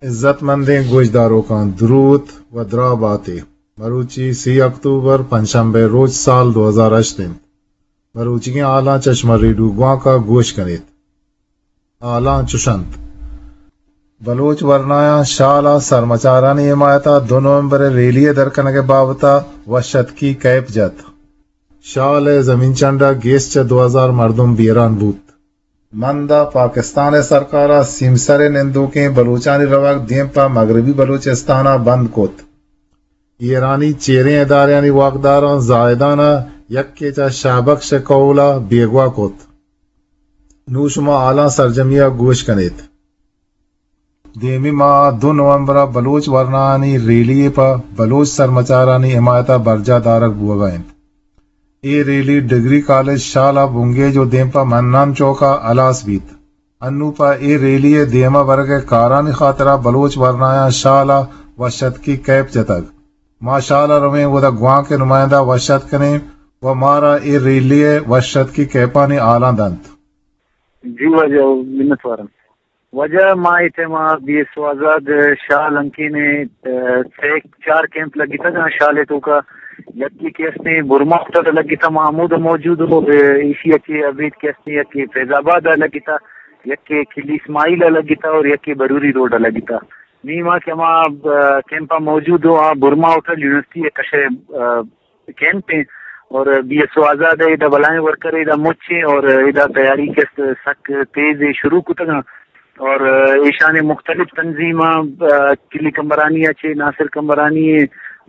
عزت مندیں گوشداروکاں دروت و دراہ باتے۔ مروچی سی اکتوبر پنچشنبے روچ سال دو ہزار ہشت انت۔ مروچیگیں حالاں چہ شما ریڈیو گوانک ءَ گوش کنیت۔ حالاں چش انت۔ بلوچ ورنایاں شال ءَ سرمچارانی حمایت ءَ دو نومبر ءَ ریلی ءِ در کنگ ءِ بابت ءَ وش اتکی کیپ جت۔ شال ءِ زمین چنڈ ءَ گیش چہ دو ہزار مردم بیران بوت۔ مند ءَ پاکستان ءِ سرکار ءَ سیمسر ءِ نندوکیں بلوچانی روگ دیم پہ مغربی بلوچستان ءَ بند کت۔ ایرانی چیریں ادارہانی واکداراں زاہدان ءَ یکے چہ شاہ بخش ءِ کہول ءَ بیگواہ کت۔ نوں شما حالاں سرجمی ءَ گوش کنیت۔ دیمی ماہ ءَ دو نومبر ءَ بلوچ ورنایانی ریلی یے پہ بلوچ سرمچارانی حمایت ءَ برجاہ دارگ بوگ ءَ انت۔ اے ریلی ڈگری کالج شال ءَ بنگیج ءُ دیم پہ منان چوک ءَ ہلاس بیت۔ انوں پہ اے ریلی ءِ دیم ءَ برگ ءِ کارانی خاطر ءَ بلوچ ورنایاں شال ءَ وش اتکی کیپ جتگ۔ ما شال ءَ رویں، اودا گوانک ءِ نمائندہ ءَ وش اتک کنیں ءُ مارا اے ریلی ءِ وش اتکی کیپانی حالاں دنت۔ جی واجہ، منت وارم۔ واجہ، ما اے ٹائم ءَ بی ایس او آزاد شال ہنکین ءَ، آ، سہ چار کیمپ لگتگ آں شال ءِ توکا۔ یکے کہ استیں برما ہوٹل ءَ لگتا، ما ہمودا موجود اوں۔ ایشی ءَ چہ ابید کہ استیں یکے فیض آباد ءَ لگتا، یکے کلی اسماعیل ءَ لگتا اور یکے بروری روڈ ءَ لگتا۔ نی ما کہ ہما، آ، کیمپ ءَ موجود اوں، آ برما ہوٹل یونیورسٹی ءِ کش ءَ، آ، کیمپ ایں اور بی ایس او آزاد ءِ ادا بلائیں ورکر ادا مچ ایں اور ادا تیاری کہ است سک تیز ایں، شروع کتگ آں اور ایشانی مختلف تنظیماں، آ، کلی کمبرانی ءَ چہ ناصر کمبرانی ایں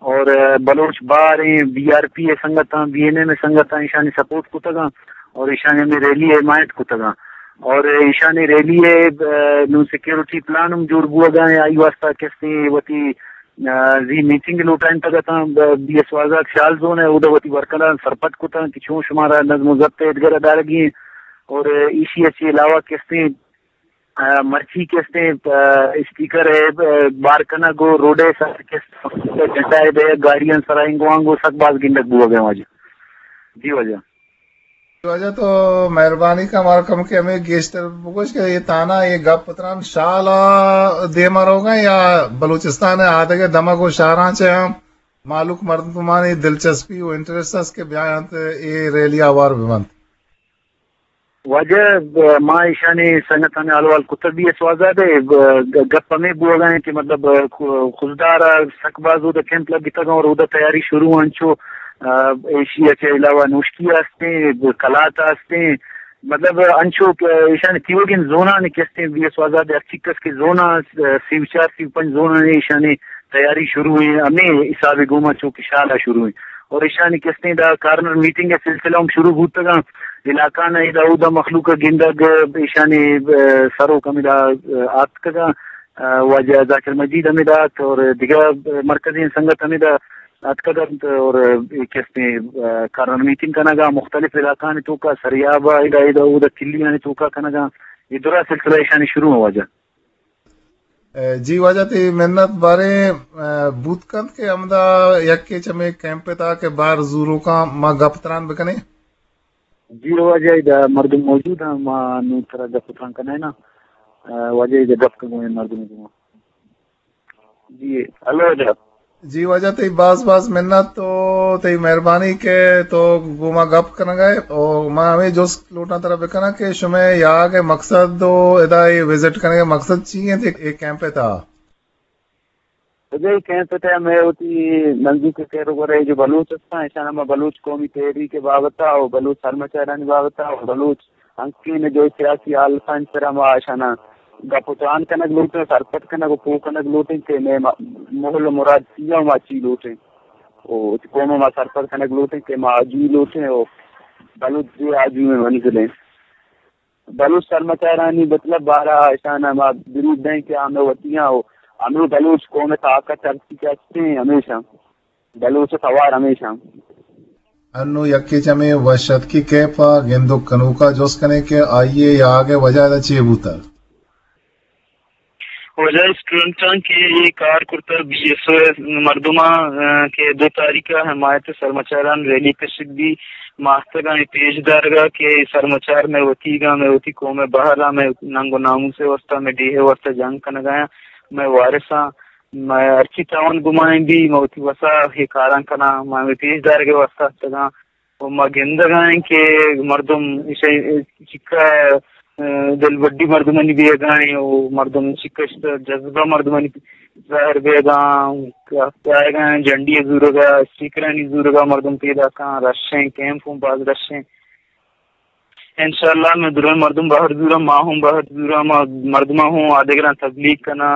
اور بلوچ بار ایں، بی آر پی ءِ سنگتاں، بی این ایم ءِ سنگتاں ایشانی سپورٹ کتگ آں اور ایشانی ہمے ریلی ءِ حمایت کتگ آں اور ایشانی ریلی ءِ، آ، نوں سیکیورٹی پلان ہم جوڑ بوگ ءَ ایں، آئی واسطہ کہ استیں وتی آ، زی میٹنگ لوٹائینتگ اتاں، ب-، بی ایس او آزاد شال زون ءَ، اودا وتی ورکراں سرپد کتاں کہ چون شمارا نظم و ضبط ءِ ادگہ ءَ دارگی ایں اور ایشی ءَ چہ علاوہ کہ استیں، آ، مرچی کہ استیں، آ، اسپیکر ءِ، آ، بار کنگ و روڈ ءِ سر کہ استیں جھنڈا ءِ دئیگ، گاڑیاں سرا انگو آنگو سک باز گندگ بوگ ءَ ایں واجہ۔ جی واجہ۔ واجہ تو مہربانی کن مارا کمکے ہمے گیشتر بگوش کہ اے تانا اے گپ تران شال ءَ دیما روگا یا بلوچستان ءِ آدگہ دمگ و شہراں چہ ہم مہلوک مردمانی دلچسپی و انٹرسٹ است کہ بیاینت اے ریلی ءَ ہوار ببنت؟ واجہ، ما ایشانی سنگتانی حال احوال کتگ بی ایس او آزاد ءَ، گ-، گپ ہمے بوگا ایں کہ مطلب خضدار ءَ سک باز اودا کیمپ لگتگ اور اودا تیاری شروع انچو، آ، ایشی ءَ چہ علاوہ نوشکی ءَ استیں، کلات ءَ استیں، مطلب، انچو کہ ایشانی تیوگیں زونانی کہ استیں، بی ایس او آزاد ءِ ہر چکس کہ زوناں، سی و چار، سی و پنچ زونانی ایشانی تیاری شروع ایں، ہمے حساب ءَ گوما چو کہ شال ءَ شروع ایں۔ اور ایشانی کہ استیں دا کارنر میٹنگ ءِ سلسلہ ہم شروع بوتگاں۔ علاقہ نا ادا اودا مخلوق ءَ گندگ، ایشانی، آ، سروک ہمدا، آ، آتکگاں، آ، واجہ ذاکر مجید ہمدا ات اور دگہ مرکزی سنگت ہمدا اتکگ انت اور اے کہ استیں، آ، کارنر میٹنگ کنگا مختلف علاقہانی توکا، سریاب ءَ ادا، ادا اودا کلیانی توکا کنگا۔ اے درا سلسلہ ایشانی شروع ایں واجہ۔ اے، جی واجہ تئی منت باریں، آ، بوت کنت کہ ہمدا یکے چمے کیمپ تا کہ بار زوروکاں ما گپ تران بکنیں۔ جی واجہ ادا مردم موجود ہیں، ما نوں ترا گپ تران کنیں نا۔ آ، واجہ ادا گپ کنگو مردم گوما۔ جی، ہلو واجہ۔ جی واجہ، تئی باز باز منت تو تئی مہربانی کہ تو گوما گپ کنگا ئے۔ او ما ہمے جست لوٹاں ترا بکناں کہ شمئے یاگ ءِ مقصد و ادا اے وزٹ کنگ ءِ مقصد چی انت اے کیمپ ءِ تہا؟ واجہ اے کیمپ ءِ تہا مئے وتی نزیک ءِ کہر و گور ءِ جو بلوچ استاں، ایشاں ما بلوچ قومی تحریک ءِ بابت ءَ و بلوچ سرمچارانی بابت ءَ و بلوچ ہنکین جو سیاسی حالتانی سرا ما اشانا گپ و تران کنگ لوٹیں، سرپد کنگ و پوہ کنگ لوٹیں کہ مئے م-، مہل و مراد چی ایں و ما چی لوٹیں۔ و وتی قوم ءَ ما سرپد کنگ لوٹیں کہ ما آجوئی لوٹیں و بلوچ زی آجوئی منزل ایں۔ بلوچ سرمچارانی مطلب بارہ اشانا ما دروت دئیں کہ آ مئے وتی آں و ہمے بلوچ قوم ءِ طاقت ہرچی کہ ہستیں ہمیشاں۔ بلوچ ءِ توار ہمیش انت۔ انوں یکے چمے وش اتکی کیپ ءَ گندوک کنوک ءَ جست کنیں کہ آئی ءِ یاگ ءِ وجہ ادا چے بوتگ؟ وجہ اسٹوڈنٹاں کہ اے کار کرتگ، بی ایس او ءِ مردماں، آ، کہ دو تاریخ ءَ حمایت سرمچاران ریلی کشگ بی، ماستگاں اے پیش دارگ ءَ کہ اے سرمچار مئے وتیگ ءَ، مئے وتی قوم ءِ بہر ءَ، مئے ننگ و ناموس ءِ واستہ، مئے ڈیھ ءِ واستہ جنگ کنگ ءَ اَنت۔ مئے وارثاں، مئے ہرچی تاوان گمائیں بی، ما وتی وسا اے کاراں کناں، ما ہمے پیش دارگ ءِ واسطہ اتکگاں۔ و ما گندگا ایں کہ مردم ایشی چکا، اه، دلبڈی مردمانی بیگا ایں و مردم چکا جذبہ مردمانی ظاہر بیگا، آیگا ایں جنڈی زورگا، اسٹیکرانی زورگا مردم پیداکاں، رش ایں، کیمپ ہوں باز رش ایں۔ انشاءاللہ مئے درائیں مردم بہر زوراں، ما ہوں بہر زوراں، ما مردماں ہوں آدگراں تبلیغ کناں،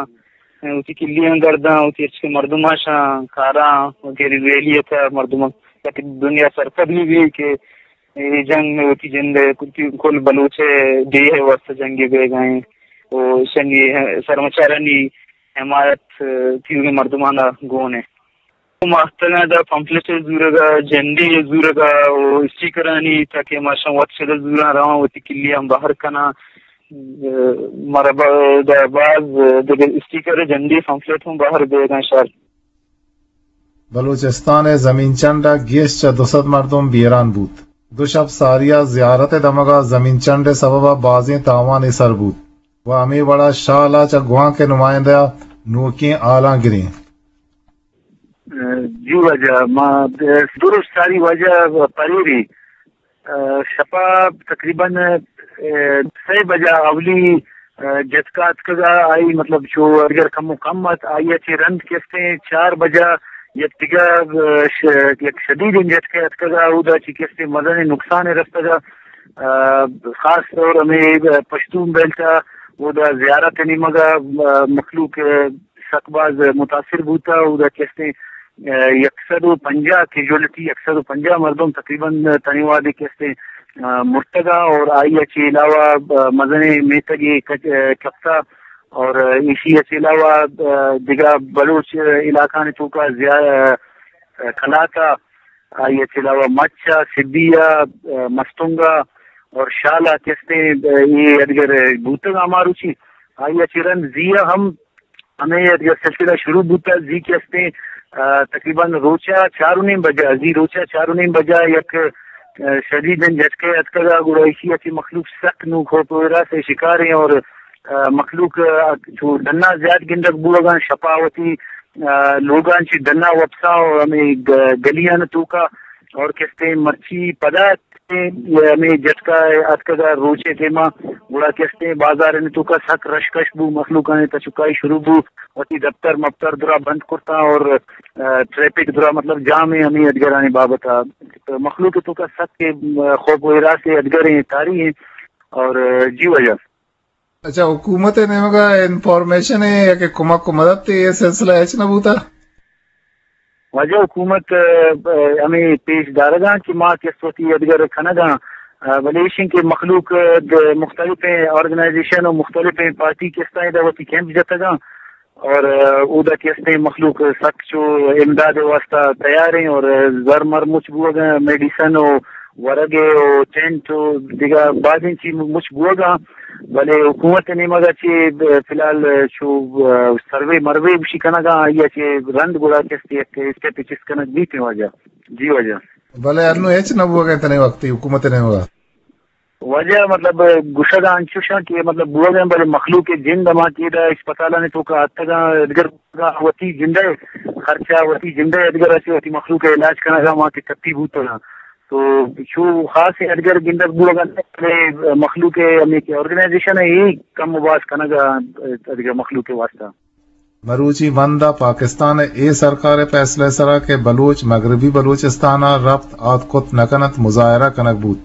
وتی کلیاں گرداں، وتی ہرچ کہ مردماں شاں کاراں، وغیرہ ریلی ءَ تھا مردماں تاکہ دنیا سرپد بہ بی کہ اے جنگ مئے وتی جند ءِ کل، کل بلوچ ءِ ڈیھ ءِ واسطہ جنگے بیگا ایں و ایشانی سرمچارانی حمایت تیوگیں مردماں گون ایں۔ ماہتگاں دا پمفلٹ زورگا، جنڈی زورگا و اسٹیکرانی تاکہ ما شاں وت شدہ زوراں رواں وتی کلیاں بہر کناں۔ مارا با-، دا باز دگہ اسٹیکر، جنڈی، پمفلٹ ہوں بہر بیگاں شار۔ بلوچستان ءِ زمین چنڈ ءَ گیش چہ دو سد مردم بیران بوت۔ دو شپ ساری ءَ زیارت ءِ دمگ ءَ زمین چنڈ ءِ سبب ءَ بازیں تاوانے سر بوت و ہمے وڑ ءَ شال ءَ چہ گوانک ءِ نمائندہ ءَ نوکیں ہالاں گریں۔ جی واجہ، ما درست ساری واجہ پریری، اه، شپا تقریباً، اه، سئے بجا اولی، اه، جتکا اتکگا، آئی مطلب چو اگر کم و کم ات، آئی ءَ چہ رند کستیں چار بجا یک دگہ، اه، ش-، یک شدیدیں جتکے اتکگا، اودا چہ کستیں مزنیں نقصانے رستگا۔ اه، خاص طور ہمے پشتون بیلٹ ءَ اودا زیارت ءِ نیمگ ءَ، اه، مخلوق، اه، سک باز متاثر بوتا، اودا کستیں، اه، یک سد و پنجاہ کیژوئلٹی، یک سد و پنجاہ مردم تقریباً تنی وہدے کستیں، اه، مرتگا اور آئی ءَ چہ علاوہ، اه، مزنیں میتگے کچ-، اه، کپتا اور ایشی ءَ چہ علاوہ، اه، دگہ بلوچ علاقانی توکا زیا-، اه، کلاتا آئی ءَ چہ علاوہ مچ ءَ، سبی ءَ، ءَ، مستونگ ءَ اور شال ءَ کہ استیں، ءَ، اے ادگر بوتگ آ ماروچی۔ آئی ءَ چہ رند زی ءَ ہم ہمے ادگر سلسلہ شروع بوتگ۔ زی کہ استیں، ءَ، تقریباً روچ ءَ چار و نیم بجہ، زی روچ ءَ چار و نیم بجہ یک، ءَ، شدیدیں جھٹکے اتکگ ءَ گڑا ایشی ءَ چہ مخلوق سک نوں خوف و ہراس ءِ شکار ایں اور، ءَ، مخلوق، ءَ، چو ڈنا زیات گندگ بوگ ءَ، شپ ءَ وتی ءَ، لوگاں چہ ڈنا وپسا و ہمے گ-، گلیاں توکا اور کستیں مرچی پدا ہمے جھٹکا اتکگا روچے ٹیما گڑا کستیں بازارانی توکا سک رشکش بو، مخلوقانی تچکائی شروع بو، وتی دفتر مفتر درا بند کرتاں اور، ءَ، ٹریفک درا مطلب جام ایں ہمے ادگرانی بابت ءَ۔ مخلوق توکا سک، ءَ، خوف و ہراسے ادگریں تاری ایں اور، ءَ، جی واجہ۔ اچھا، حکومت ءِ نیمگ ءَ انفارمیشن ءِ یا کہ کمک و مدد ءِ اے سلسلہ ہچ نہ بوتا؟ واجہ حکومت، ءَ، ہمے پیش دارگاں کہ ما کس وتی ادگر کنگاں، ءَ، بلے ایشیں کہ مخلوق، ءَ، د-، مختلفیں آرگنائزیشن و مختلفیں پارٹی کستاں ادا وتی کیمپ جتگاں اور، ءَ، اودا کہ استیں مخلوق سک چو امداد ءِ واسطہ تیار ایں اور، ءَ، زر مر مچ بوگ ءَ، میڈیسن و ورگ ءَ و ٹینٹ و دگہ بازیں چیز مچ بوگ ءَ، بلے حکومت ءِ نیمگ ءَ چہ فی الحال چو، ءَ، سروے مروے گوشی کنگ ءَ، آئی ءَ چہ رند گڑا کس یک اسٹیپ چست کنگ بیت واجہ۔ جی واجہ۔ بلے انوں ہچ نہ بوگ ءَ تنے وقتی حکومت ءِ نیمگ ءَ۔ واجہ مطلب گوشگ ءَ انچوش اں کہ مطلب بوگ ءَ، بلے مخلوق ءِ جند ہما کہ ادا اسپتالانی توکا اتکگاں، ادگر وتی جند ءِ خرچہ، وتی جند ءِ ادگر ءَ چہ وتی مخلوق ءِ علاج کنگ ءَ ما کہ ٹپی بوتگاں۔ تو چو خاصیں ادگر گندگ بوگ ءَ نہ، بلے مخلوق ءِ ہمے کہ آرگنائزیشن ءَ اے کم و باز کنگ ءَ ادگر مخلوق ءِ واسطہ۔ مروچی بند ءَ پاکستان ءِ اے سرکار ءِ فیصلہ ءِ سرا کہ بلوچ مغربی بلوچستان ءَ رپت آتک کت نہ کن انت، مظاہرہ کنگ بوت۔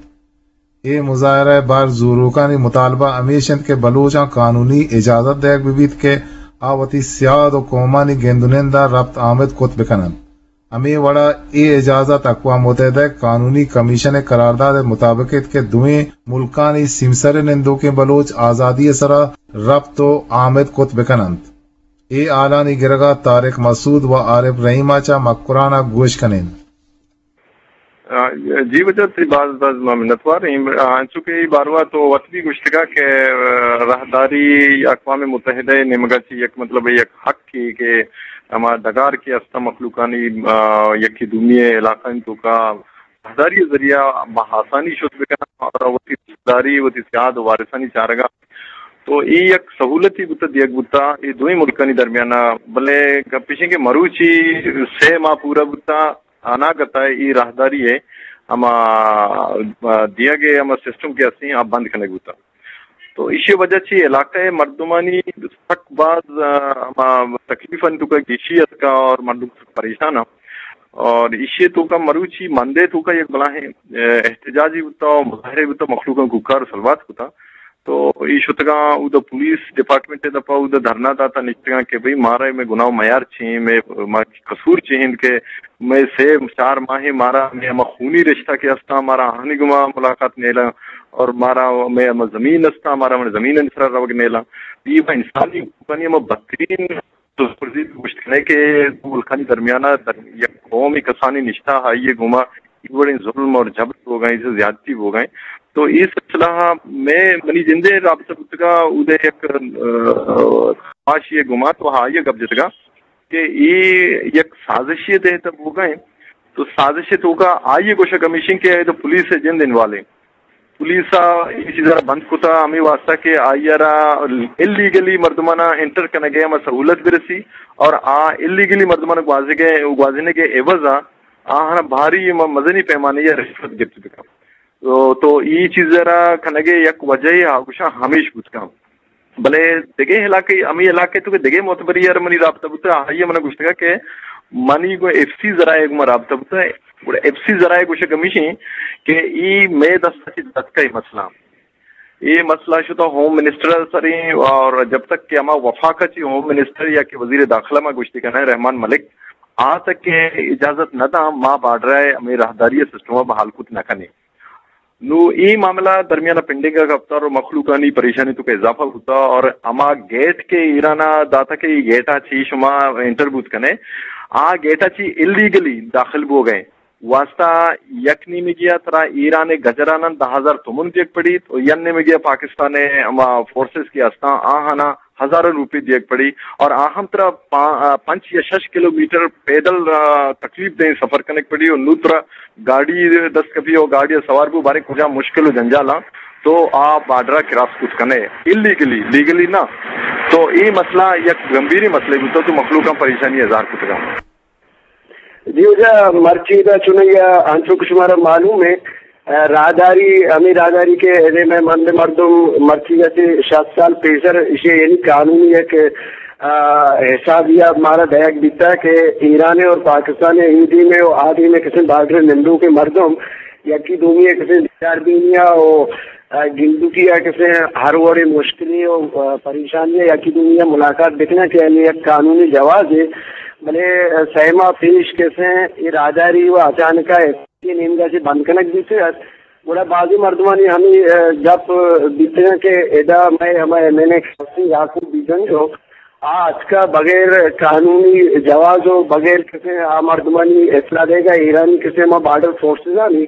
اے مظاہرہ ءِ بہر زوروکانی مطالبہ ہمیش انت کہ بلوچاں قانونی اجازت دئیگ بہ بیت کہ آ وتی سیاد و قومانی گند و نند ءَ رپت آمد کت بہ کن انت۔ ہمے وڑ ءَ اے اجازت اقوام متحدہ ءِ قانونی کمیشن ءِ قرارداد ءِ مطابق انت کہ دوئیں ملکانی سیمسر ءِ نندوکیں بلوچ آزادی ءِ سرا رپت و آمد کت بہ کن انت۔ اے ہالانی گرگ ءَ طارق مسعود و عارف رحیم ءَ چہ مکران ءَ گوش کنیں۔ آ، جی واجہ، تئی باز باز ما منتوار ایں۔ آ، انچو کہ اے باروا تو وت بھی گوشتگا کہ، آ، راہداری اقوام متحدہ ءِ نیمگا چہ یک مطلب یک حق کہ، کہ ہما ڈگار کہ است مخلوقانی، آ، یکی دومی علاقہ توکا راہداری ذریعہ بہ آسانی شت بکنن اور وتی راہداری وتی سیاد و وارثانی چارگا تو اے یک سہولتی بوتا، دیگ بوتا اے دوئیں ملکانی درمیانا، بلے گپ ایشیں کہ مروچی سے ماہ پورا بوتا، اناگتا اے راہداری ءِ ہما، آ، دیگ ءِ ہما سسٹم کہ ہستیں آ بند کنگ بوتا۔ تو ایشی وجہ چی علاقہ ءِ مردمانی سک باز، آ، ہما تکلیفانی توکا گیشی اتکا اور مردم سک پریشان اں۔ اور ایشی توکا مروچی مندے توکا یک بلاہیں، آ، احتجاجی بوتا، مظاہرے بوتا، مخلوقاں کوکار سلوات کتا۔ تو اے شتگاں اودا پولیس ڈپارٹمنٹ ءِ دپا اودا دھرنا داتا نشتگاں کہ بھئی مارا مئے گناہ و میار چی ایں، مئے، ما قصور چی انت کہ مئے سے چار ماہ مارا مئے ہما خونی رشتہ کہ ہستاں مارا آہانی گوما ملاقات نیلاں اور مارا مئے ہما زمین ہستاں مارا ہمے زمین ءِ سرا روگ نیلاں۔ اے با انسانی حقوقانی ہما بدترین تو پرزی گوشت کنے کہ دو ملکانی درمیانا در یک قومی کسانی نشتہ آئی ءِ گوما اے وڑیں ظلم اور جبر بوگائیں، زیادتی بوگائیں۔ تو اے سلسلہ میں منی جندے رابطہ بوتگا، اودے یک، آ، خواہشی ءِ گوما تو آئی ءَ گپ جتگا کہ اے یک سازشی ءِ تحت بوگائیں۔ تو سازش ءِ توکا آئی ءِ گوشگ ہمیشیں کہ اے تو پولیس ءِ جند انوالیں۔ پولیس ءَ اے چیز ءَ را بند کتا ہمے واسطہ کہ آئی ءَ را الیگلی مردماں انٹر کنگ ءِ ہما سہولت برسی اور آ الیگلی مردماں گوازگ ءِ، گوازینگ ءِ عوض ءَ آہاں بھاری م-، مزنی پیمانے ءَ رشوت گپت بکن۔ تو، تو اے چیز ءَ را کنگ ءِ یک وجہ ءَ گوشاں ہمیش بوت کن۔ بلے دگہ علاقہ، ہمے علاقہ تو کہ دگہ معتبری یار منی رابطہ بوتا، آئی ءَ منا گوشتگا کہ منی گو ایف سی ذرائع گو رابطہ بوتا۔ گڑا ایف سی ذرائع گوشگ ہمیشیں کہ اے مئے دست چہ دتکا اے مسئلہ۔ اے مسئلہ شتا ہوم منسٹر سریں اور جب تک کہ ہما وفاق چی ہوم منسٹر یا کہ وزیر داخلہ ما گوشتی کنا رحمان ملک آ تک کہ اجازت نہ داں ما بارڈر ءِ ہمے راہداری ءِ سسٹم ءَ بحال کت نہ کنیں۔ نو اے معاملہ درمیان ءَ پنڈنگ ءَ کپتار و مخلوقانی پریشانی تو کہ اضافہ بوتا اور ہما گیٹ کہ ایران ءَ داتا کہ اے گیٹ ءَ چی شما انٹر بوت کنے، آ گیٹ ءَ چی الیگلی داخل بوگئے واسطہ یک نیمگی ءَ ترا ایران ءِ گجرانن دہ ہزار تومن دیگ پڑیت و یک نیمگی ءَ پاکستان ءِ ہما فورسز کہ ہستاں آہانا ہزارہ روپی دیگ پڑی اور آ ہم ترا پا-، آ، پنچ یا شش کلومیٹر پیدل، آ، تکلیف دیں سفر کنگ پڑی اور نو ترا گاڑی دست کپی اور گاڑی سوار بو بارے کجا مشکل و جنجالاں تو آ بارڈر کراس کت کنے الیگلی، لیگلی نہ۔ تو اے مسئلہ یک گمبھیری مسئلہ بوتا تو مخلوقاں پریشانی اظہار کتگا۔ جی واجہ، مرچی دا چونیا انچو کہ شمارا معلوم ہے، آ، راہداری، ہمیں راہداری کہ ادے میں مند مردم مرچی جیسے شست سال پیسر اسے یعنی قانونی یک، آ، حساب یا مارا دیگ بیتا کہ ایران اور پاکستان ایدی میں و آدی میں کسے بارڈر نندو کے مردم یکی دومی کسے بیچار دینیا و، آ، گندوکی یا کسے ہر وڑے مشکلی و، آ، پریشانی یکی دومی ملاقات بکنا کہ یعنی یک قانونی جواز ہے۔ بلے، آ، سیما پیش کسے اراداری و اچانکا نیمگا چہ بند کنگ بیتگ ات، گڑا بازیں مردمانی ہمے، آ، گپ بیتگ کہ ادا مئے ہما ایم این اے یعقوب بیجنگ و آ اتکا بغیر قانونی جواز و بغیر کسے آ مردمانی اطلاع دیگا ایرانی کسے ہما بارڈر فورسز آنی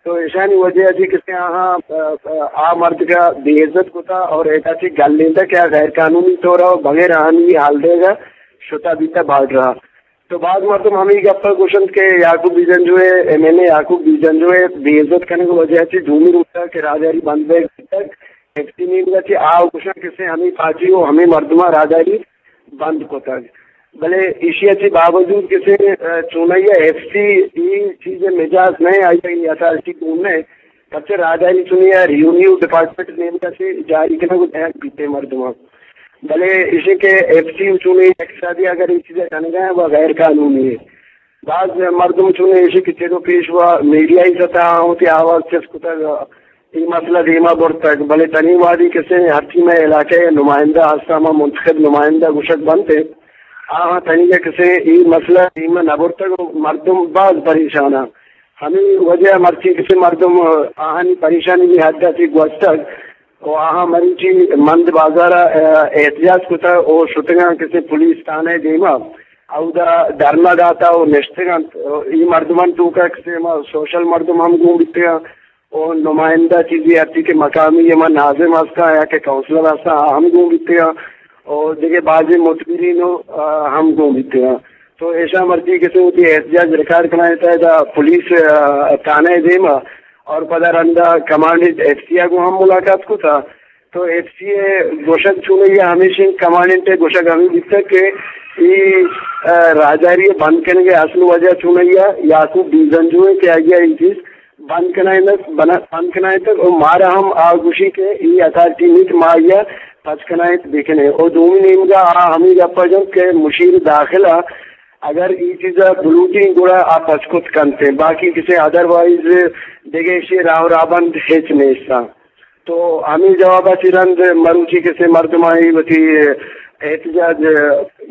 تو ایشانی وجہ ء چہ کسے آہاں، آ، آ، آ مردگا بے عزت کتا اور ادا چہ گلینتا کہ آ غیر قانونی طور ء بغیر آہانی حال دیگا شتا بیتا بارڈر ء۔ تو باز مردم ہمے گپ ء گوشنت کہ یعقوب بیجنجو ء، ایم این اے یعقوب بیجنجو ء بے عزت کنگ ء وجہ چہ دومی روچ ء کہ راہداری بند بیگ بیتگ، ایف سی نیمگ ء چہ آ گوشاں کسے ہمے پارٹی ء ہمے مردماں راہداری بند کتگ۔ بلے ایشی ء چہ باوجود کسے، ا، چونائی ء ایف سی ای چیز ء مجاز نہ، آئی ء اتھارٹی گون نہ، پرچہ راہداری چونی ء ریونیو ڈپارٹمنٹ نیمگ ء چہ جاری کنگ ء دئیگ بیتے مردماں۔ بلے ایشی کہ ایف سی چونی اقتصادی اگر ای چیز ء کنگ ء و غیر قانونی ہے۔ باز مردم چون ایشی کہ چیز و پیش و میڈیا ای سطح آں وتی آواز چست کتگ، ای مسئلہ دیما برتگ، بلے تنی وادی کسے ہرچی مئے علاقہ ء نمائندہ ہستاں، ما منتخب نمائندہ گوشگ بنت، آہاں تنیگہ کسے ای مسئلہ دیما نہ برتگ و مردم باز پریشان آں۔ ہمے وجہ مرچی کسے مردم آہانی پریشانی بھی حد ء چہ گوستگ و آہاں مروچی مند بازار ء احتجاج کتگ و شتگاں کسے پولیس تھانہ ء دیما اودا دھرنا داتا و نشتگ انت۔ ای مردمان توکا کسے ما سوشل مردم ہم گون بیتگاں و نمائندہ چیزی ہرچی کہ مقامی ہما ناظم ہستاں یا کہ کونسلر ہستاں، آ ہم گون بیتگاں و دگہ بازیں متبرین و، آ، ہم گون بیتگاں۔ تو ایشاں مرچی کسے وتی احتجاج ریکارڈ کنائینتا ادا پولیس، آ، تھانہ ء دیما اور پدا رندا کمانڈنٹ ایف سی ء گوں ہم ملاقات کتا۔ تو ایف سی ءِ گوشگ چونائی ءَ ہمیش انت، کمانڈنٹ ءِ گوشگ ہمے بیتگ کہ اے، آ، راہداری ءِ بند کنگ ءِ اصل وجہ چونائی ءَ یعقوب بیزنجو انت کہ آئی ءَ اے چیز بند کنائینت، بنا-، بند کنائینتگ، و مارا ہم آ گوشی کہ اے اتھارٹی نیت ما آئی ءَ پچ کنائینت بکنیں۔ و دومی نیمگا آ ہمے گپا جنت کہ مشیر داخلہ اگر اے چیزا بلوٹیں گڑا آ پچ کت کنتیں، باقی کسے ادروائز دگہ ایشی راہ و رہبند ہچ نیستاں۔ تو ہمے جواب ءَ چہ رند مروچی کسے مردمانی وتی احتجاج،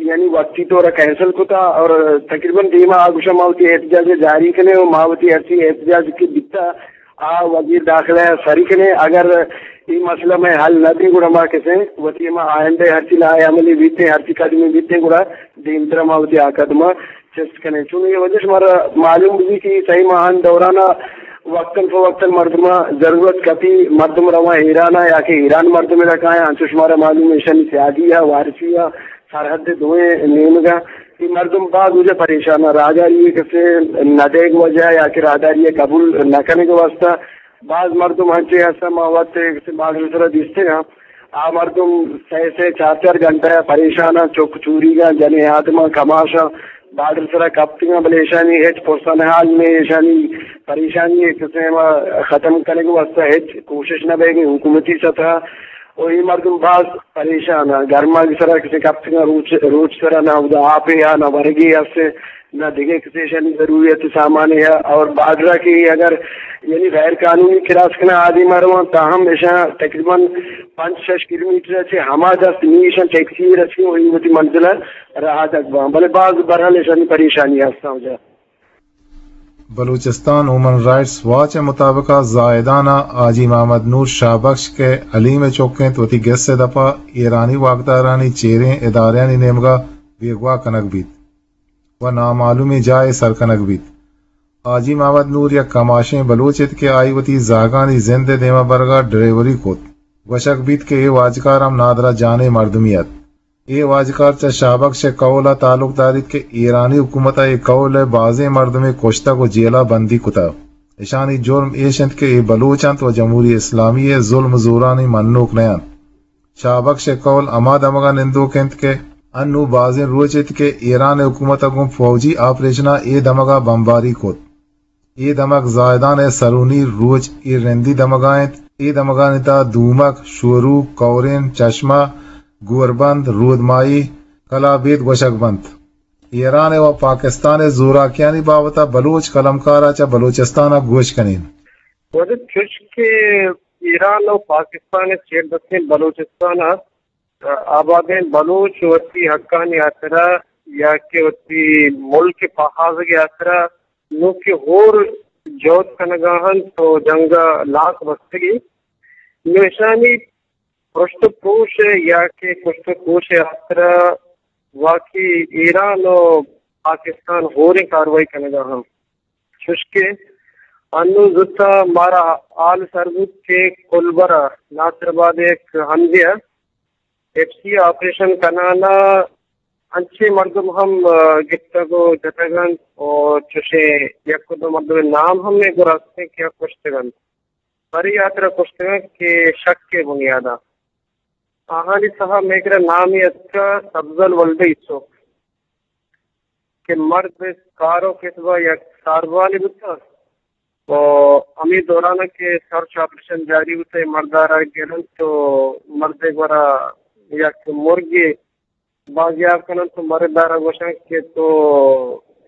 یعنی وقتی طور ءَ کینسل کتا اور تقریباً دیما آ گوشاں ما وتی احتجاج ءَ جاری کنیں و ما وتی ہرچی احتجاج کہ بیتا آ وزیر داخلہ ءَ سری کنیں۔ اگر اے مسئلہ مئے حل نہ بی گڑا ما کسے وتی ہما آئندہ ہرچی لائحہ عملی بیتیں، ہرچی قدمی بیتیں گڑا دیمترا ما وتی آ قدم ءَ چست کنیں۔ چون اے وجہ شمارا معلوم بی کہ اے سئے ماہان دوران ءَ وقتاً فوقتاً مردم ءَ ضرورت کپی، مردم رواں ایران ءَ یا کہ ایران مردم را کایاں، انچو شمارا معلوم ایشانی سیادی ءَ، وارثی ءَ، سرحد دوئیں نیمگ ءَ اے مردم باز وجہ پریشان ءَ، راہداری ءِ کسے نہ دیگ وجہ یا کہ راہداری ءِ قبول نہ کنگ ءِ واستہ باز مردم انچیں ہستاں، ما وت کسے بارڈر سرا دیستگاں، آ مردم سئے سئے چار چار گھنٹہ ءَ پریشان آں، چک چوریگ آں، جنیں آدماں کماش آں، بارڈر سرا کپتگاں، بلے ایشانی ہچ پرسن حال نہ، ایشانی پریشانی ءِ کسے ما ختم کنگ ءِ واستہ ہچ کوشش نہ بیگ ءَ حکومتی سطح ءَ۔ و اے مردم باز پریشان آں، گرماگ سرا کسے کپتگاں، روچ، روچ سرا نہ اودا آپے آ نہ ورگے است۔ نہ دگہ کسے ایشانی ضروریات سامانے ءَ اور بارڈر ءَ کہ اگر یعنی غیر قانونی کراس کناں آدیم ءَ رواں تاہم ایشاں تقریباً پنچ شش کلومیٹر ءَ چہ ہما دست نی ایشاں ٹیکسی رسی و وتی منزل ءَ رہادگ باں، بلے باز برحال ایشانی پریشانی ہستاں وجہ۔ بلوچستان ہیومن رائٹس واچ ءِ مطابق ءَ زاہدان ءَ حاجی محمد نور شاہ بخش کہ حلیم ءِ چک انت وتی گس ءِ دپ ءَ ایرانی واکدارانی چیریں ادارہانی نیمگ ءَ بیگواہ کنگ بیت۔ و نامعلومیں جاہے سر کنگ بیت۔ حاجی محمد نور یک کماشیں بلوچ ات کہ آئی وتی زہگانی زند ءِ دیما برگ ءَ ڈرائیوری کت۔ گوشگ بیت کہ اے واجکار ہم نادراہ جانیں مردمے ات۔ اے واجکار چہ شاہ بخش ءِ قول ءَ تعلق داریت کہ ایرانی حکومت ءَ اے قول ءِ بازیں مردمے کشتگ و جیل ءَ بندی کتگ۔ اشانی جرم ایش انت کہ اے بلوچ انت و جمہوری اسلامی ءِ ظلم و زورانی منوک نہ انت۔ شاہ بخش ءِ قول ہما دمگ ءَ نندوک انت کہ انوں بازیں روچ ات کہ ایران ءِ حکومت ءَ گوں فوجی آپریشن ءَ اے دمگ ءَ بمباری کت۔ اے دمگ زاہدان ءِ سرونی روچ اے رندی دمگ ءَ انت۔ اے دمگانی تہا دومک، شوروک، کورین، چشمہ، گوربند، رودماہی، کلابید گوشگ بنت۔ ایران ءِ و پاکستان ءِ زوراکیانی بابت ءَ بلوچ قلمکار ءَ چہ بلوچستان ءَ گوش کنیں۔ واجہ چوش کہ ایران و پاکستان ءِ چیر دستیں بلوچستان ءَ آبادیں بلوچ وتی حقانی ہاترا یا کہ وتی ملک ءِ پہازگ ءِ ہاترا نوں کہ ہور جہد کنگا انت و جنگ ءَ لاک بستگی، نوں اشانی پرشت و پروش ءِ یا کہ کشت و کوش ءِ ہاترا واقعی ایران و پاکستان ہوریں کاروائی کنگا انت۔ چوشکہ انوں زوت ءَ مارا حال سر بوت کہ کولبر ءَ ناصر آباد ءِ یک ہندے ءَ ایف سی آپریشن کنان ءَ انچیں مردم ہم، آ، گپتگ و جتگ انت و چوشیں یک و دو مردم ءِ نام ہم مئے گورا است انت کہ آ کشتگ انت۔ پرے ہاترا کشتگ انت کہ شک ءِ بنیاد ءَ۔ آہانی تہا مئے کرا نامے اتکگ سبزل ولد یوسف کہ مرد کار و کسب ءَ یک ساربانے بوتگ و ہمے دوران ءَ کہ سرچ آپریشن جاری بوتگ، اے مرد ءَ را گرنت و مرد ءِ گورا یک مرگے بازیاب کننت و مرد ءَ را گوشنت کہ تو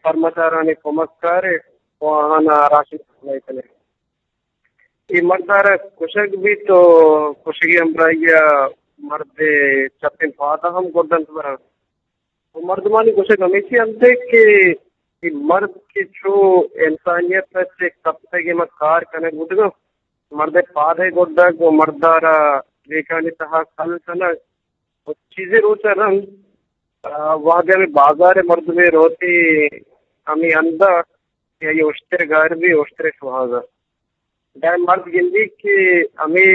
سرمچارانی کمک کارے و آہانا راشن سپلائی کنے۔ اے مرد ءَ را کشگ بیت و کشگی ہمراہی ءَ مرد ءِ چپیں پاد ءَ ہم گڈنت برنت۔ و مردمانی گوشگ ہمیشی انت کہ اے مرد کہ چو انسانیت ءَ چہ کپتگ ءُ ما کار کنگ بوتگ انت، مرد ءِ پاد ءِ گڈگ و مرد ءَ را ریکانی تہا کل کنگ و چیزے روچ ءَ رند، آ، وہدے ہمے بازار ءِ مردمے روت ہمے ہند ءَ کہ آئی ءَ اشتر گار بی، اشتر ءِ شوہاز ءَ۔ دائم مرد گندی کہ ہمے،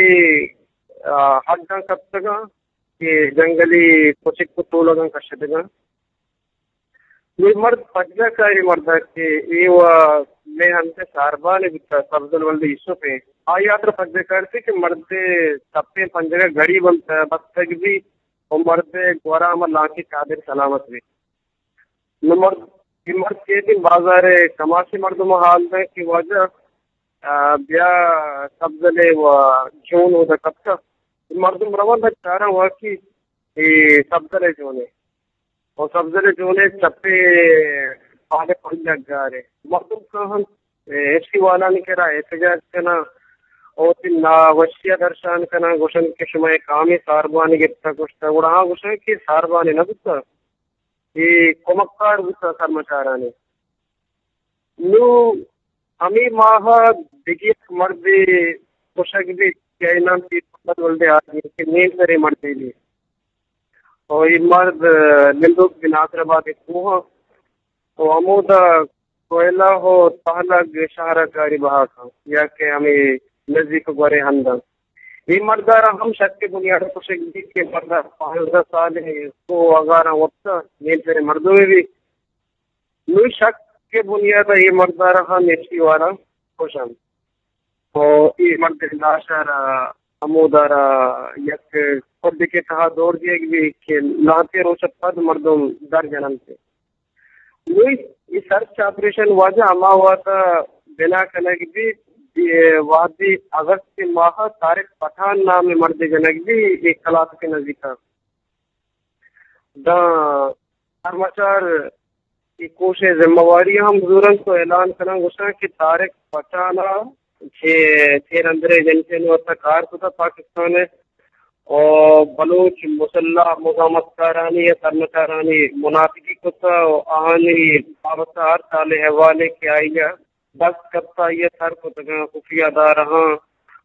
آ، حداں کپتگاں کہ جنگلی کچک و تولگاں کشتگاں۔ اے مرد پجگا کاری مرد ءَ کہ اے و مئے ہند ءِ ساربانے بوتہ، سبزل ولد یوسف ءَ۔ آئی ءَ ترا پجگا کارتی کہ مرد ءِ تپیں پنجگ ءَ گڑی بنت، بستگ بی و مرد ءِ گورا ہما لانکی چادر سلامت بی۔ نو مرد، اے مرد کہ دیم بازار ءِ کماشیں مردم ءَ حال دنت کہ واجہ، آ، بیا سبزل ءِ و جون اودا کپتہ۔ اے مردم روان دنت چاران واقعی اے سبزل ءِ جونے۔ و سبزل ءِ جونے چپے پاد ءِ پنجگ گارے۔ مردم کاہنت، اے، ایف سی والانی کرا احتجاج کناں و وتی ناوشی ءَ درشان کناں، گوشنت کہ شما اے کامیں ساربانے گپتہ کشتہ؟ گڑا آہاں گوشنت کہ ساربانے نہ بوتہ، اے کمکار بوتہ سرمچارانی۔ نوں ہمے ماہ ءَ دگہ یک مردے کشگ بیت کہ آئی نام پیر محمد ولد آدمی کہ نیم سریں مردے بیت۔ و اے مرد، آ، نندوک بی ناصر آباد ءِ کوہاں و ہمودا کوئلہ و تہلگ شہر ءَ کاری بہا کنت یا کہ ہمے نزیک گورے ہند انت۔ اے مرد ءَ را ہم شک ءِ بنیاد ءَ کشگ بیت کہ مرد ءَ پانزدہ سال ءِ کوہ اگاراں وپتہ، نیم سریں مردمے بیت۔ نوں شک ءِ بنیاد ءَ اے مرد ءَ را ہم ایف سی والا کشنت۔ و اے مرد ءِ لاش ءَ را ہمودا را یک کڈکے تہا دور دیگ بیت کہ لہتے روچ ءَ پد مردم در جننت۔ نوں اے سرچ آپریشن واجہ ہما وہد ءَ بنا کنگ بیت، اے وہدے اگست ءِ ماہ ءَ طارق پٹھان نامیں مردے جنگ بیت، اے کلات ءِ نزیک ءَ۔ داں سرمچار اے کوش ءِ ذمہ واری ہم زورنت و اعلان کننت، گوشنت کہ طارق پٹھان ءَ چہ تیر اندر ایجنٹانی واسطہ کار کتہ پاکستان ءَ و بلوچ مسلح مزاحمت کارانی یا سرمچارانی منافقی کتہ و آہانی بابت ءَ ہر سال ءِ احوالے کہ آئی ءَ دست کپتہ، آئی ءَ سر کتگاں، خفیہ ادارہاں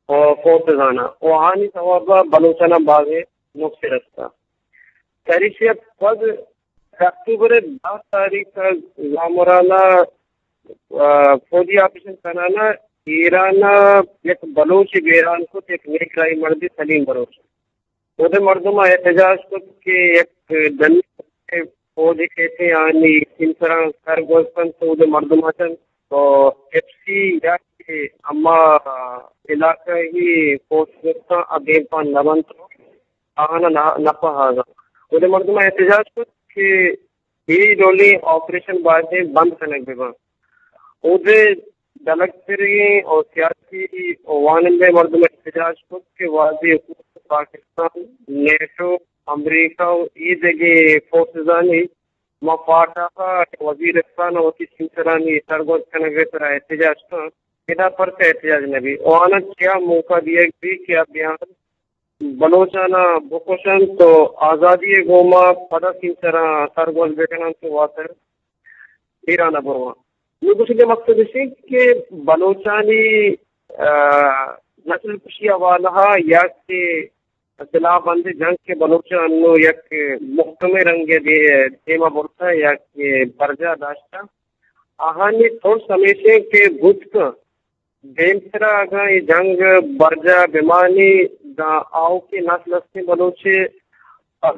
و فورسزاں و آہانی سوب ءَ بلوچاناں بازیں نقصے رستہ۔ چریشی ءَ پد اکتوبر ءِ دہ تاریخ ءَ زامران ءَ، آ، فوجی آپریشن کنان ءَ ایران ءَ یک بلوچے بیران کت، یک نیکراہی مردے سلیم بلوچ۔ اودے مردماں احتجاج کت کہ یک ڈنی فوج کیتے آنی سیمسراں سر گوستن تو اودے مردماں چن تو ایف سی یا کہ اما علاقہ ہی فورس گوستن ادیم پان نبنت۔ آہانا نہ، نہ پہاگا۔ اودے مردم احتجاج کت کہ اے ڈولیں آپریشن بایدیں بند کنگ بہ بنت۔ اودے ڈلگتریں و سیاسی و وانندہ مردم احتجاج کت کہ وہدے حکومت پاکستان، نیٹو، امریکہ و اے دگہ فورسزانی ما فاٹا وزیرستان وتی سیمسرانی سرگوز کنگ ء سرا احتجاج کنت، ادا پرچا احتجاج نہ بیت؟ و آناں چیا موقع دیگ بیت کہ آ بیان بلوچاناں بکشنت و آزادی ء گوما پدا سیمسراں سرگوز بکننت و واتر ایران ء برواں؟ نوں گوشگ ء مقصد اش انت کہ بلوچانی، آ، نسل کشی حوالہ ء یا کہ سلاہ بندیں جنگ کہ بلوچ ء انوں یک محکمیں رنگ ء دے-، دیما برتہ یا کہ برجاہ داشتہ، آہانی ترس ہمیش انت کہ بوت کنت دیمترا اگاں اے جنگ برجاہ بمانی، داں آؤکیں نسل استیں بلوچے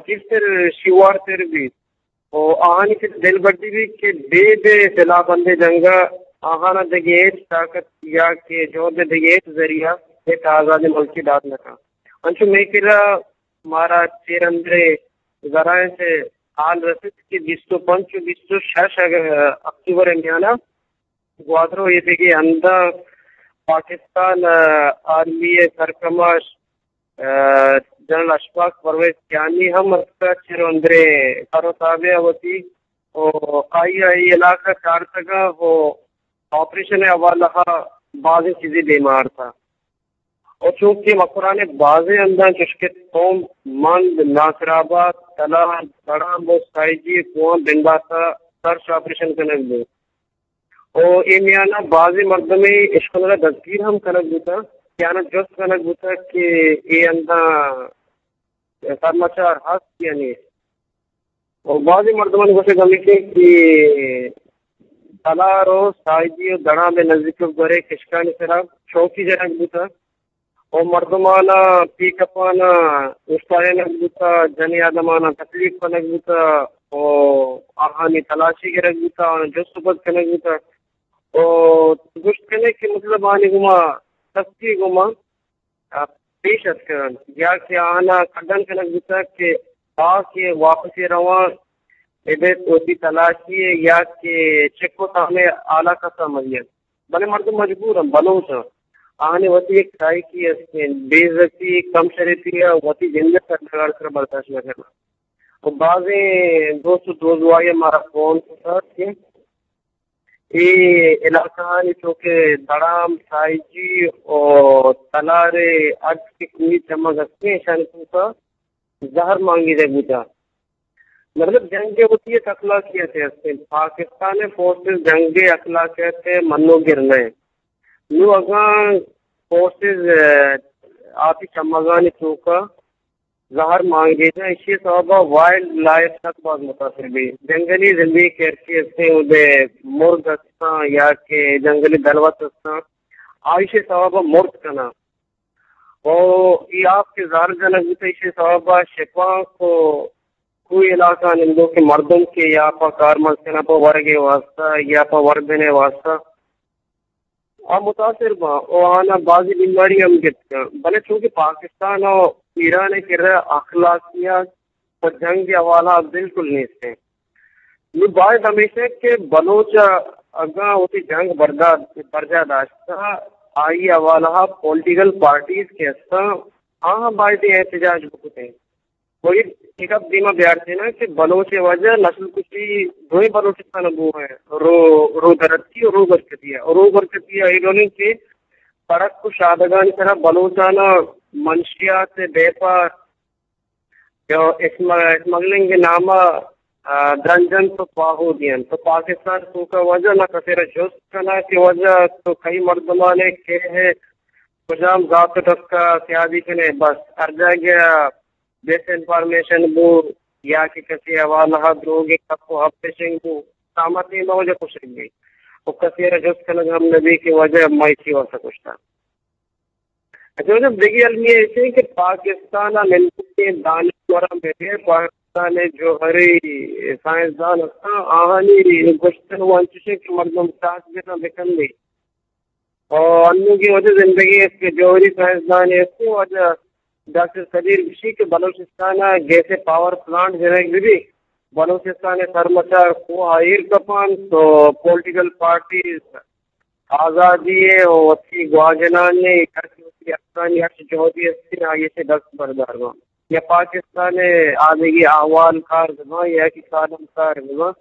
گیشتر شیوارتر بیت و آہانی چہ دلبڈی بیت کہ بید سلاہ بندیں جنگ ء آہانا دگہ ہچ طاقت یا کہ جہد ء دگہ ہچ ذریعہ ہچ آزادیں ملکے دات نہ کنت۔ انچو مئے کرا مارا چیر اندریں ذرائع سے حال رسیت کہ بیست و پنچ و بیست و شش اگ-، اکتوبر ء میانا گوادر و ایدگہ ہنداں پاکستان، آ، آرمی ء سرکماش، آ، جنرل اشفاق پرویز کیانی ہم اتکا چر اندرے سر و تابع وتی و آئی ء اے علاقہ کارتگا و آپریشن ء حوالہ ء بازیں چیزے دیما آرتا۔ و چونکہ مکران ء بازیں ہنداں چشکہ توم مند، ناصر آباد، تلار، بڑام و سائیجی ء کوہاں بندات ء سرچ آپریشن کنگ بوت۔ و اے میان ء بازیں مردمے اشکنگ ء دزگیر ہم کنگ بوتگ کہ آناں جست کنگ بوتگ کہ اے ہنداں سرمچار ہست یا نیست۔ و بازیں مردمانی گوشگ ہمیش انت کہ تلار و ساہیگی و دڑام ء نزیک گورے کشکانی سرا چوکی جنگ بوتگ و مردماناں پیک اپاناں اوشتارینگ بوتگ، جنی آدماناں تکلیف کنگ بوتگ۔ و آہانی تلاشی گرگ بوتا، آہاں جست و پرس کنگ بوتا۔ و گوشت کنے کہ مطلب آنی گوما سختی گوما آ، پیش اتکگ انت یا کہ آہانا کڈن کنگ بوتگ کہ آ کہ واپسی روان ابیت وتی تلاشی ء یا کہ چک و تامے حالا کسا مریت۔ بلے مردم مجبور انت، بلوچ انت۔ آہانی وتی یک سائیکی است انت، بے عزتی، کم شرفی ء وتی جند ء سرڈگار سرا برداشت نہ کناں۔ و بازیں دوست و دوزواہی مارا فون کتگ کہ اے علاقہانی چو کہ دڑام، سائیجی و تلار ء اڈ کہ کوہی چمگ ہستیں، اشانی توکا زہر مانگیدہ بوتہ۔ مطلب جنگ ء وتی یک اخلاقیتے ہستیں۔ پاکستان ء فورسز جنگ ء اخلاقیت ء منوگر نہ انت۔ نوں اگاں فورسز، ء، آپی چمگانی توکا زہر مانگیجاں، ایشی ء سوب ء وائلڈ لائف سک باز متاثر بی۔ جنگلی زندگی کہ ہرچی ہستیں، اودے مرگ ہستاں یا کہ جنگلی دلوت ہستاں، آ ایشی ء سوب ء مرد کناں۔ او ای آپ کہ زہر جنگ بوتہ، ایشی ء سوب ء شپانک و کوئی علاقہ نندوکیں مردم کہ یا پہ کارمرز کناں پہ ورگ ء واسطہ یا پہ وردن ء واسطہ، آ متاثر باں و آناں بازیں بیماری ہم گپت کنت، بلے چونکہ پاکستان و ایران ء کرا اخلاقیات پہ جنگ ء حوالہ بالکل نیست انت۔ نوں باید ہمیش انت کہ بلوچ ء اگاں وتی جنگ بردا-، برجاہ داشتہ، آئی ء حوالہ پولیٹیکل پارٹیز کہ ہستاں، آہاں باید احتجاج بکتیں۔ و اے، اے گپ دیما بیارتیناں کہ بلوچ ء وجہ نسل کشی دوئیں بلوچستان ء بوگ ء رو، رو درتی و رو برکتی ء۔ رو برکتی ء اے ڈولیں کہ پڑک و شادگانی سرا بلوچاناں منشیات ء بیپار یا اسم-، اسمگلنگ ء نام ء، آ، درنجنت و پاہو دینت۔ تو پاکستان توکا وجہ نہ کسے را جست کناں کہ وجہ تو کئی مردمانے کہ ہے کجام ذات و ٹسکا سیادی کنے، بس ہر جاگہ ڈس انفارمیشن بو یا کہ کسی حوالہ دروگیں گپ و ہب پشنگ بو، سامتی ما وجہ کشگ بی و کسی را جست کنگ ہم نبی کہ وجہ مئی چی واسطہ کشتا۔ اچھا، وجہ دگہ المی ایسے کہ پاکستان ء نندوکیں دانشوراں بغیر پاکستان ء جوہری سائنسدان ہستاں، آہانی گوشتن و انچشیں کہ مردم ساچ بکن بکن بی۔ و انوگیں وجہ زندگی است کہ جوہری سائنسدان است، وجہ ڈاکٹر قدیر گشی کہ بلوچستان ء گیس پاور پلانٹ جنگ بہ بی، بلوچستان ء سرمچار کوہ ء ایر کپان تو پولیٹیکل پارٹیز آزادی ء و وتی گواجنانی ہرچ وتی حقانی ہرچ جہدی است آئی ء دست بردار بان یا پاکستان ء آدگی احوال کار ببان یا کہ کالم کار ببان۔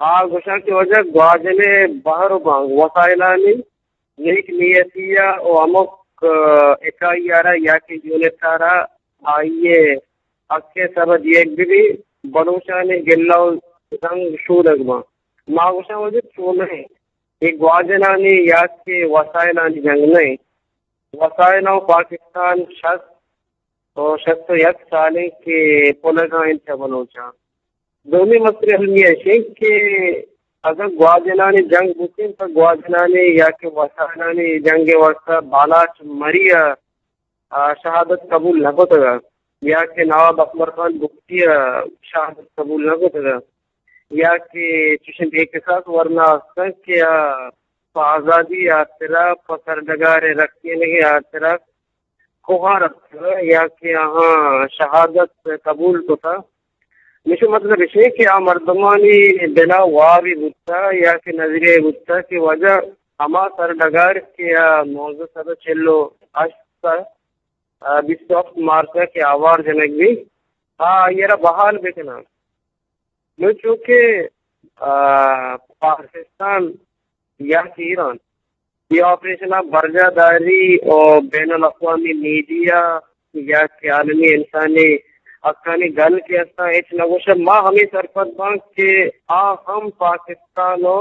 آ گوشاں کہ واجہ گواجن ء بہر و بانگ وسائلانی نیک نیتی ء و ہمک، آ، اکائی ء را یا کہ یونٹ ء را آئی ء حق ء سر ء دیگ بہ بی، بلوچانی گلہ و زنگ شودگ باں۔ ما گوشاں واجہ چونہ اے گواجنانی یا کہ وسائلانی جنگ نہ انت۔ وسائل ء پاکستان شست و شست و یک سالیں کہ پلگا انت چہ بلوچاں۔ دومی مسئلہ المی اش انت کہ اگاں گواجنانی جنگ بوتیں، پہ گواجنانی یا کہ وسائلانی جنگ ء واستہ بالاچ مری ء، آ، شہادت قبول نہ کتگ ات یا کہ نواب اکبر خان بگٹی ء شہادت قبول نہ کتگ ات یا کہ چشیں بے کساس ورنا ہستن کہ آ، پہ آزادی ء ہاترا، پہ سرڈگار ء رکینگ ء ہاترا کوہار اتکگ یا کہ آہاں شہادت قبول کتہ۔ مشو مطلب اش انت کہ آ مردمانی دل ء وابے بوتہ یا کہ نظریہ بوتہ کہ واجہ ہما سرڈگار کہ آ نوزدہ سد ء چل ء ہشت ء، آ، بیست ء ہپت مارچ ء کہ آوار جنگ بیت، آ آئی ء را بحال بکناں۔ نوں چونکہ، آ، پاکستان یا کہ ایران اے آپریشن ء برجاہ داری و بین الاقوامی میڈیا یا کہ عالمی انسانی حقانی گل کہ استاں ہچ نہ گوشاں۔ ما ہمے سرپد باں کہ آ ہم پاکستان و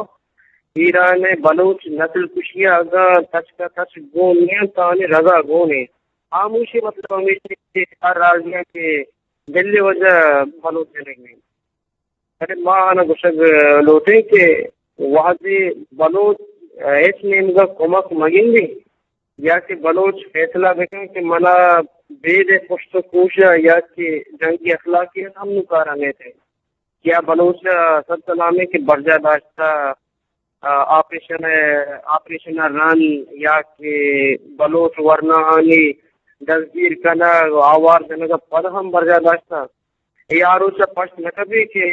ایران ء بلوچ نسل کشی ء اگاں تچک ء تچک گون نہ انت، آہانی رضا گون انت۔ ہاموشی مطلب ہمیش انت کہ ہر راضی انت کہ دلی وجہ بلوچ جنگ انت۔ بلے ما آناں گوشگ لوٹیں کہ وہدے بلوچ ہچ نیمگا کمک مگندی یا کہ بلوچ فیصلہ بکن کہ منا بید پشت و کوش یا کہ جنگی اخلاقیت ہم نوں کارا نیتیں۔ یا بلوچ ء سد سلامیں کہ برجا داشتہ، آ، آپریشن ء، آپریشن ء رند یا کہ بلوچ ورناہانی دزگیر کنگ و آوار جنگ ء پد ہم برجا داشتہ۔ اے آ روچ ء پشت نہ کپی کہ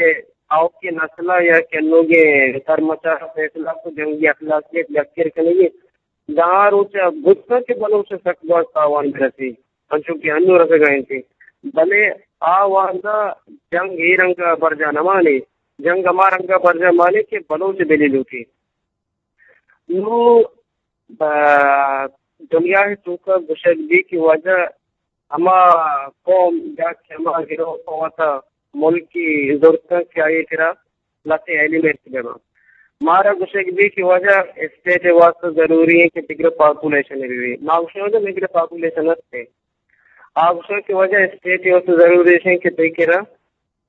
آؤکیں نسل ء یا کہ انوگیں سرمچار ء فیصلہ کو جنگی اخلاقیت یکر کنگی۔ داں روچ ء بوتگ کہ بلوچ ء سک باز تاوان برسی، انچو کہ انو رسگ ء انت، بلے آ وہد ء جنگ اے رنگ ء برجا نہ مانے، جنگ ہما رنگ ء برجا مانے کہ بلوچ ء دلی لوٹی۔ نوں، آ، دنیا ء توکا گوشگ بی کہ واجہ ہما قوم یا کہ ہما گروہ پہ وتا ملکی زرتن کہ آئی کرا لہتیں ایلیمنٹ بہ باں۔ مارا گوشگ بی کہ واجہ اسٹیٹ ء واسطہ ضروری ہے کہ بگر پاپولیشن بہ بی۔ ما گوشاں واجہ مگر پاپولیشن ہستے۔ آ گوشاں کہ واجہ اسٹیٹ ء واسطہ ضروری ہے کہ تئی کرا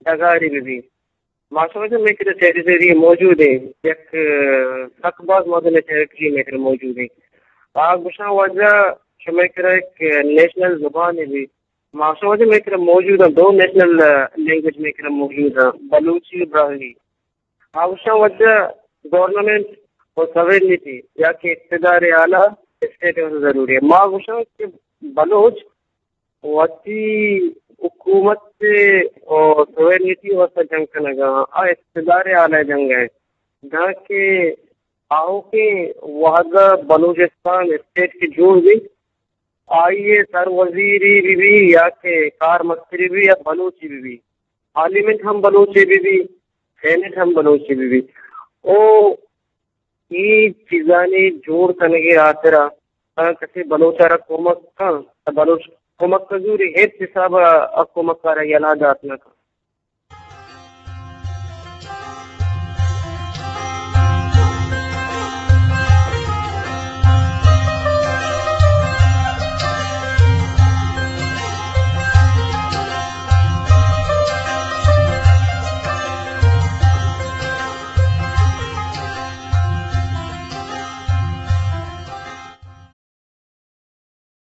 ڈگاری بہ بی۔ ما شما چہ مئے کرا ٹیریٹری موجود ہیں، یک، اه، سک باز مزن ٹیریٹری مئے کرا موجود ہیں۔ آ گوشاں واجہ شمئے کرا یک نیشنل زبان بھی۔ ما شما واجہ مئے کرا موجود ہیں، دو نیشنل، اه، لینگویج مئے کرا موجود ہیں، بلوچی و براہوئی۔ آ گوشاں واجہ گورنمنٹ و سویرنٹی یا کہ اقتدار اعلیٰ اسٹیٹ ء ضروری ہے۔ ما گوشاں کہ بلوچ وتی حکومت ء سویرنٹی واسطہ جنگ کنگ ء آ اقتدار اعلی جنگ ء، دانکہ آؤکیں وہد ء بلوچستان اسٹیٹ کہ جوڑ بیت، آئی ء سر وزیری بہ بی یا کہ کارمستری بہ بی یا بلوچی بہ بی، پارلیمنٹ ہم بلوچی بہ بی، سینیٹ ہم بلوچی بہ بی۔ او اے چیزانی جوڑ کنگ ء ہاترا اگاں کسے بلوچ ء را کمک کن، تہ بلوچ کمک ء زوری ہچ حساب ء کمک ء را یلہ دات نہ کن۔